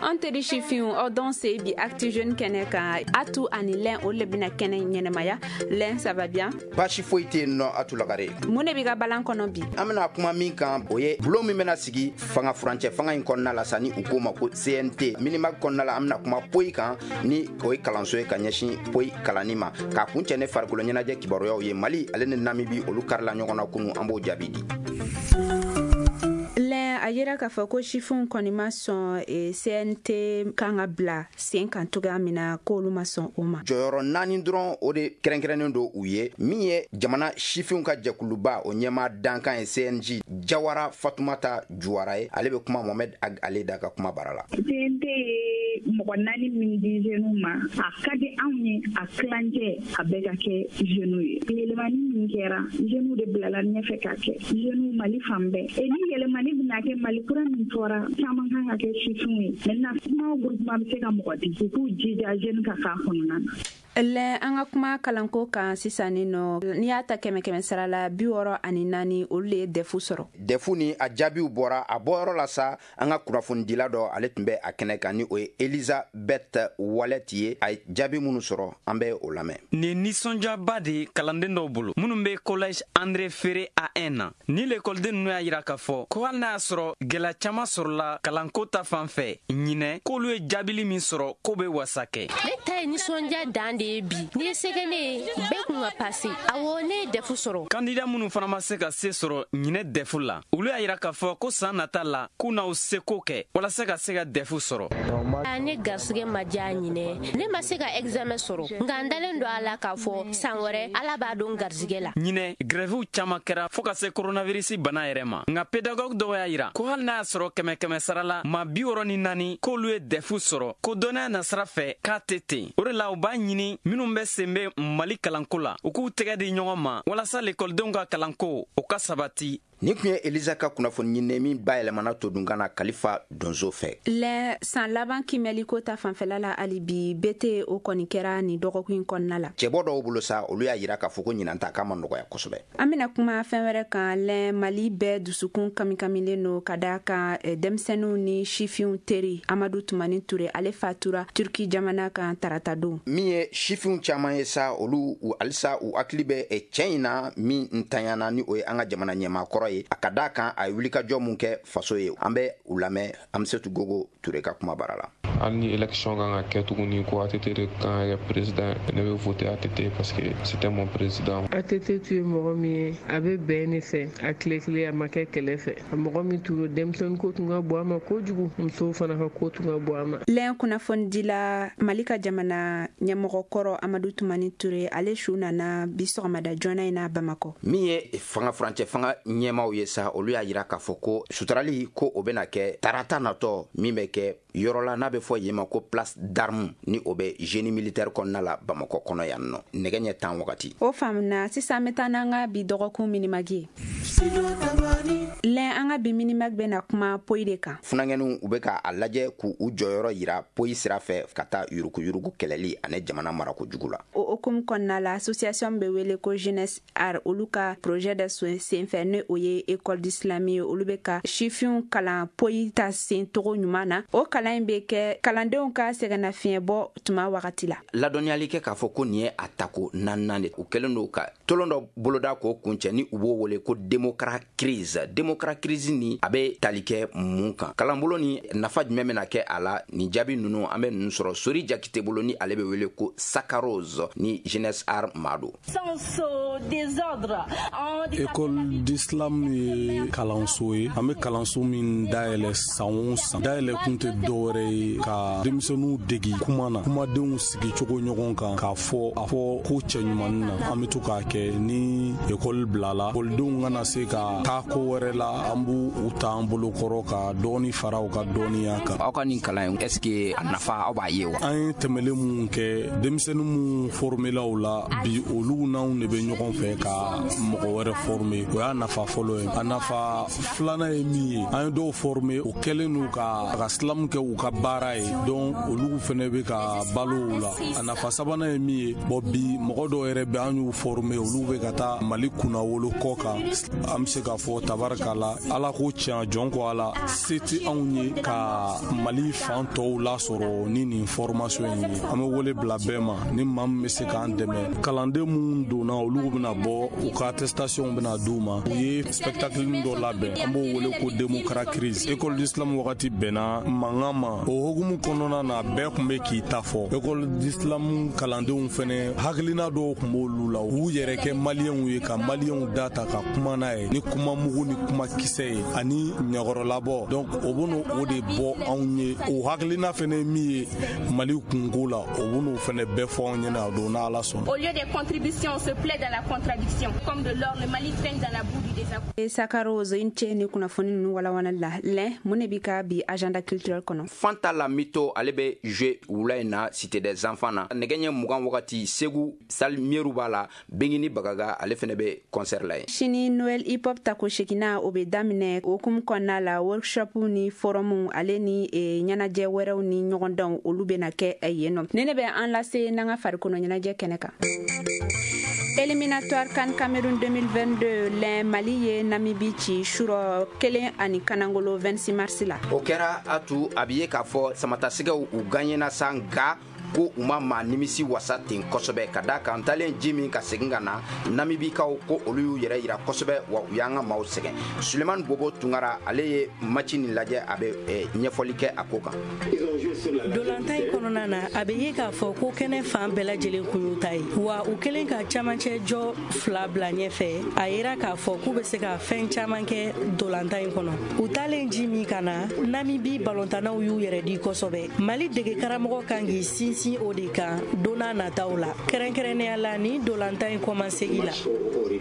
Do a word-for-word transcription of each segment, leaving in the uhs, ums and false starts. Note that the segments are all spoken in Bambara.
An teri sifinw, aw dɔn se bi Actu Jeunes kɛnɛ kan. Atu ani Lɛn, olu le bɛna kɛnɛ ɲɛnɛmaya. Lɛn, ça va bien? Baasi foyi tɛ yen nɔ, Atu Lagare. Mun de b'i ka balan kɔnɔ bi? An bɛna kuma min kan, o ye bulon min bɛna sigi fanga furancɛ fanga in kɔnɔna la sa, ni u k'o ma ko C N T. Minimag kɔnɔna la, an bɛna kuma poyi kan, ni o ye kalanso ye ka ɲɛsin poyi kalanni ma. K'a kun cɛ ne farikolo ɲɛnajɛ kibaruyaw ye, Mali ale ni Namibi, olu karila ɲɔgɔn na kunu, an b'o jaabi di. Lɛn, a yira k'a fɔ ko sifinw kɔni ma sɔn eh, C N T kan ka bila sen kan cogoya min na, k'olu ma sɔn o ma. Jɔyɔrɔ naani dɔrɔn, o de kɛrɛnkɛrɛnnen don u ye. Min ye jamana sifinw ka jɛkuluba o ɲɛma dankan ye, C N J, Jawara Fatumata Juwara ye, ale bɛ kuma Mohamɛd Ag Ale da ka kuma bara la. C N T ye mɔgɔ naani min di jeunes ma, a ka di anw ye a tilancɛ a bɛɛ ka kɛ jeunes ye. Yɛlɛmani min kɛra, jeunes de bilala ɲɛfɛ k'a kɛ, jeunes Mali fan bɛɛ. E ni yɛlɛmani bɛna kɛ, Mali kura min fɔra, caman kan ka kɛ sifinw ye. Maintenant, kuma o groupement bɛ se ka mɔgɔ di, u k'u jija jeune ka k'a kɔnɔna na. Lɛ, an ka kuma kalanko kan sisan. Ni nɔ, n'i y'a ta kɛmɛ kɛmɛ sara la, bi wɔɔrɔ ani naani, olu le ye D E F sɔrɔ. D E F ni a jaabiw bɔra a bɔyɔrɔ la sa. An ka kunnafonidila dɔ, ale tun bɛ a kɛnɛ kan, ni o ye Elizabeth Wallet ye. A ye jaabi minnu sɔrɔ, an bɛ o lamɛn. Nin nisɔndiyaba de ye kalanden dɔw bolo minnu bɛ Collège André Ferré A un na. Ni lekɔliden ninnu y'a yira k'a fɔ ko hali n'a y'a sɔrɔ gwɛlɛya caaman sɔrɔla kalanko ta fan fɛ ɲinɛ, k'olu ye jaabili min sɔrɔ, k'o be wasa kɛ. Ne ta ye nisɔndiya dan de ye bi. N'i ye se kɛ ne ye, bɛɛ kun ka pase. Awɔ, ne ye D E F sɔrɔ. Kandida minnu fana ma se ka se sɔrɔ ɲinɛ D E F la, olu y'a yira k'a fɔ ko saan nata la, k'u n'aw seko kɛ walasa ka se ka D E F sɔrɔ. Ne garisɛgɛ ma diya ɲinɛ, ne ma se ka examen sɔrɔ, nka n dalen don a la k'a fɔ san wɛrɛ, Ala b'a don garisɛgɛ la. Ɲinɛ, grɛviw caaman kɛra fɔɔ ka se koronavirisi bana yɛrɛ ma, nka pédagogue dɔw y'a yira ko hali n'a y'a sɔrɔ kɛmɛ kɛmɛ sara la ma bi wɔrɔ ni naani k'olu ye D E F sɔrɔ, ko dɔnniya nasira fɛ k'a tɛ ten. O de la u b'a ɲini minnu bɛ sen bɛ Mali kalanko la, u k'u tɛgɛ di ɲɔgɔn ma walasa lekɔlidenw ka kalanko o ka sabati. Nin tun ye Eliza ka kunnafoni ɲininen min bayɛlɛmana todunkan na Kalifa Donso fɛ. Lɛ, san laban kimɛliko ta fanfɛla la, hali bi bete o kɔni kɛra nin dɔgɔkun in kɔnɔna la. Cɛbɔ dɔw bolo sa, olu y'a yira k'a fɔ ko ɲinan ta k'a ma nɔgɔya kosɛbɛ. An bena kuma fɛn wɛrɛ kan. Lɛn, Mali bɛɛ dusukun kamikamilen no ka daa kan denmisɛnninw ni sifinw teri Amadu Tumani Ture, ale fatura Turki jamana kan tarata don. Min ye sifinw caaman ye sa, olu halisa u hakili bɛ cɛɛ in na min ntanyana, ni o ye an ka jamana ɲɛmaa kɔrɔ ye, a ka daa kan a ye wulikajɔ mun kɛ faso ye. An bɛ u lamɛn Amisetu Gogo Ture ka kuma bara la. Hali ni élection kan ka kɛ tuguni ko A T T de kan ka kɛ président, ne bɛ voter A T T parce que c'était mon président. A T T tun ye mɔgɔ min ye, a bɛ bɛn de fɛ, a tile kelen a ma kɛ kɛlɛ fɛ. A mɔgɔ min tun don, denmisɛnnin ko tun ka bon a ma kojugu, musow fana ka ko tun ka bon a ma. Lɛn, kunnafonidila, Mali ka jamana ɲɛmɔgɔ kɔrɔ Amadu Tumani Ture, ale su nana bi sɔgɔmada joona in na Bamakɔ. Min ye fanga furancɛ fanga ɲɛmaw ye sa, olu y'a yira k'a fɔ ko suturali ko o bɛna kɛ tarata natɔ min bɛ kɛ yɔrɔ la n'a bɛ fɔ yen ma ko Place d'Armes, ni o bɛ Génie militaire kɔnɔna la Bamakɔ kɔnɔ yan nɔ, nɛgɛ ɲɛ tan wagati. O faamuna. Sisan an bɛ taa n'an ka bi dɔgɔkun Minimag ye. Lɛn, an ka bi Minimag bɛna kuma poyi de kan. Funankɛninw, u bɛ ka a lajɛ k'u u jɔyɔrɔ yira poyi sira fɛ ka taa yuruguyurugu kɛlɛli ani jamana marako jugu la. O hukumu kɔnɔna la, association bɛ wele ko Jeunesse Art, olu ka projet dɔ senfɛ, ni o ye école d'islam ye, olu bɛ ka sifinw kalan poyi ta sen togo ɲuman na. O kalan in bɛ kɛ kalandenw ka sɛgɛnnafiɲɛbɔ tuma wagati la. Ladɔnniyali kɛ k'a fɔ ko nin ye a tako naaninan de, u kɛlen don ka tolon dɔ boloda k'o kuncɛ, ni u b'o wele ko démocrat crise. Démocrat crise ni a bɛ tali kɛ mun kan kalanbolo ni nafa jumɛn bɛna kɛ a la? Nin jaabi ninnu, an bɛ ninnu sɔrɔ Sori Jakite bolo, ni ale bɛ wele ko Sakarose, ni Jeunesse Art maa don. École d'islam ye kalanso ye. An bɛ kalanso min dayɛlɛ san o san, dayɛlɛ kun tɛ dɔwɛrɛ ye ka denmisɛnninw degi kuma na, kumadenw sigicogo ɲɔgɔn kan, k'a fɔ a fɔ ko cɛɲumanin na. An bɛ to k'a kɛ ni ekɔli bilala, ekɔlidenw kana se ka taa ko wɛrɛ la, an b'u u ta an bolokɔrɔ ka dɔɔni fara u ka dɔnniya kan. Aw ka nin kalan in, est ce que a nafa, aw b'a ye wa? An ye tɛmɛlen mun kɛ, denmisɛnnin mun formelaw la bi, olu n'anw de bɛ ɲɔgɔn fɛ ka mɔgɔ wɛrɛ former. O y'a nafa fɔlɔ ye. A nafa filanan ye min ye, an ye dɔw former, o kɛlen n'u ka ka slam kɛ u ka baara ye. ye, donc olu fɛnɛ bɛ ka balo o la. A nafa sabanan ye min ye, bon bi mɔgɔ dɔw yɛrɛ bɛ an y'u former, olu bɛ ka taa Mali kunnawolo kɔ kan. An bɛ se k'a fɔ tabarikala, Ala ko tiɲɛ, jɔn ko Ala, se tɛ anw ye ka Mali fan tɔw lasɔrɔ ni nin formation in ye. An bɛ wele bila bɛɛ ma, ni maa min bɛ se k'an dɛmɛ. Kalanden minnu donna, olu bɛna bɔ, u ka attestation bɛna d'u ma. U ye spectacle dɔ labɛn, an b'o wele ko démocrat crise. École d'islam wagati bɛnna mankan ma, o hukumu kɔnɔna na bɛɛ tun bɛ k'i ta fɔ. École d'islam kalandenw fɛnɛ hakilina dɔw tun b'olu la, u yɛrɛ kɛ maliyɛnw ye ka maliyɛnw da ta ka kuma n'a ye ni kuma mugu ni kuma kisɛ ye ani ɲɛkɔrɔlabɔ. Donc o bɛn'o o de bɔ anw ye. O hakilina fɛnɛ min ye Mali kunko la, o bɛn'o fɛnɛ bɛɛ fɔ anw ɲɛna a don n'Ala sɔnna. Au lieu des contributions, on se plaît dans la contradiction. Comme de l'or, le Mali traîne dans la boue du désaccord. Sakaro, i ni ce ni kunnafoni ninnu walawalali la. Lɛn, mun de b'i ka bi agenda culturel kɔnɔ? Fanta Lamito, ale bɛ jouer wula in na Cité des enfants na nɛgɛ ɲɛ mugan wagati. Segu salle Mieru b'a la, Bengini Bagaga, ale fɛnɛ bɛ concert la yen. Sini, Noël hip hop tako seginna, o bɛ daminɛ. O hukumu kɔnɔna la, workshop ni forum, ale ni e, ɲɛnajɛ wɛrɛw ni ɲɔgɔndanw, olu bɛna kɛ yen nɔ. Ne ne bɛ an lase n'an ka farikolo ɲɛnajɛ kɛnɛ kan. Éliminatoire CAN Cameroun deux mille vingt-deux, lɛn, Mali ye Namibi ci surɔ kelen ani kanangolo vingt-six mars la. O kɛra a tu a bi ye k'a fɔ samatasɛgɛw u gagnena sa, nka ko u ma maa nimisi wasa ten kosɛbɛ, ka da kan talen ji min ka segin ka na, Namibikaw ko olu y'u yɛrɛ yira kosɛbɛ, wa u y'an ka maaw sɛgɛn. Sulemani Bobo Tunkara, ale ye match nin lajɛ, a bɛ ɲɛfɔli kɛ a ko kan. Dolantan in kɔnɔna na, a bɛ ye k'a fɔ ko kɛnɛ fan bɛɛ lajɛlen kun y'u ta ye, wa u kɛlen ka camancɛ jɔ fila bila ɲɛfɛ, a yira k'a fɔ k'u bɛ se ka fɛn caman kɛ dolantan in kɔnɔ. U taalen ji min ka na, Namibi balontannaw y'u yɛrɛ di kosɛbɛ. Mali dege karamɔgɔ kan k'i sinsin o de kan don n'a nataw la, kɛrɛnkɛrɛnnenya la ni dolantan in kɔmasegi la.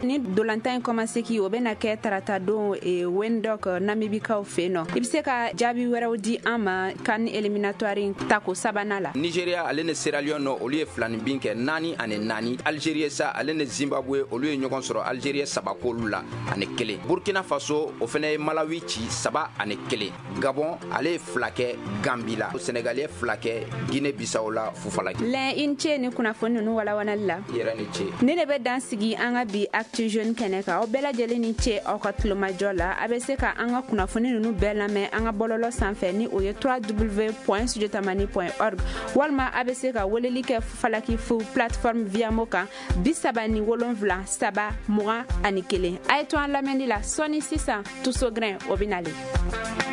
Ni dolantan in kɔmasegi, o bɛna kɛ tarata don e, Windhoek, Namibikaw fɛ yen nɔ. I bɛ se ka jaabi wɛrɛw di an ma CAN éliminatoire in tako sabanan la? Nigeria, ale ni Sierra Leone, olu ye filani bin kɛ naani ani naani. Algerie sa, ale ni Zimbabwe, olu ye ɲɔgɔn sɔrɔ, Algerie saba k'olu la ani kelen. Burkina Faso, o fɛnɛ ye Malawi ci saba ani kelen. Gabon, ale ye fila kɛ Gambi la. Senegal ye fila kɛ Guinée Bissau la Fufalaki. Lɛn, i ni ce ni kunnafoni ninnu walawalali la. I yɛrɛ ni ce. Ne de bɛ dan sigi an ka bi Actu Jeune kɛnɛ kan. Aw bɛɛ lajɛlen ni ce aw ka tulomajɔ la. A bɛ se ka an ka kunnafoni ninnu bɛɛ lamɛn an ka bɔlɔlɔ sanfɛ ni o ye W W W point studio tamani point org, walima a bɛ se ka weleli kɛ Falaki fu plateforme Viamo kan bi saba ni wolonfila saba mugan ani kelen. A ye to an lamɛnni la. Sɔɔni sisan, Tusogrin, o bɛ nalen.